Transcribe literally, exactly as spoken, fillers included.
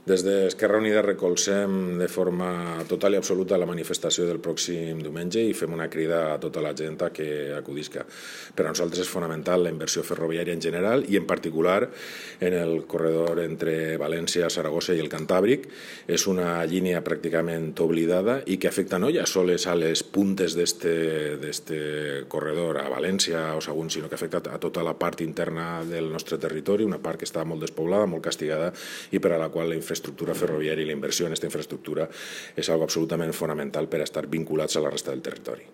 Des d'Esquerra Unida recolzem de forma total i absoluta la manifestació del pròxim diumenge i fem una crida a tota la gent que acudisca. Per a nosaltres és fonamental la inversió ferroviària en general i en particular en el corredor entre València, Saragossa i el Cantàbric. És una línia pràcticament oblidada i que afecta no ja sols a les puntes d'este corredor, a València o Sagunt, sinó que afecta a tota la part interna del nostre territori, una part que està molt despoblada, molt castigada i per a la qual la infraestructura ferroviària i la inversió en aquesta infraestructura és algo absolutament fonamental per a estar vinculats a la resta del territori.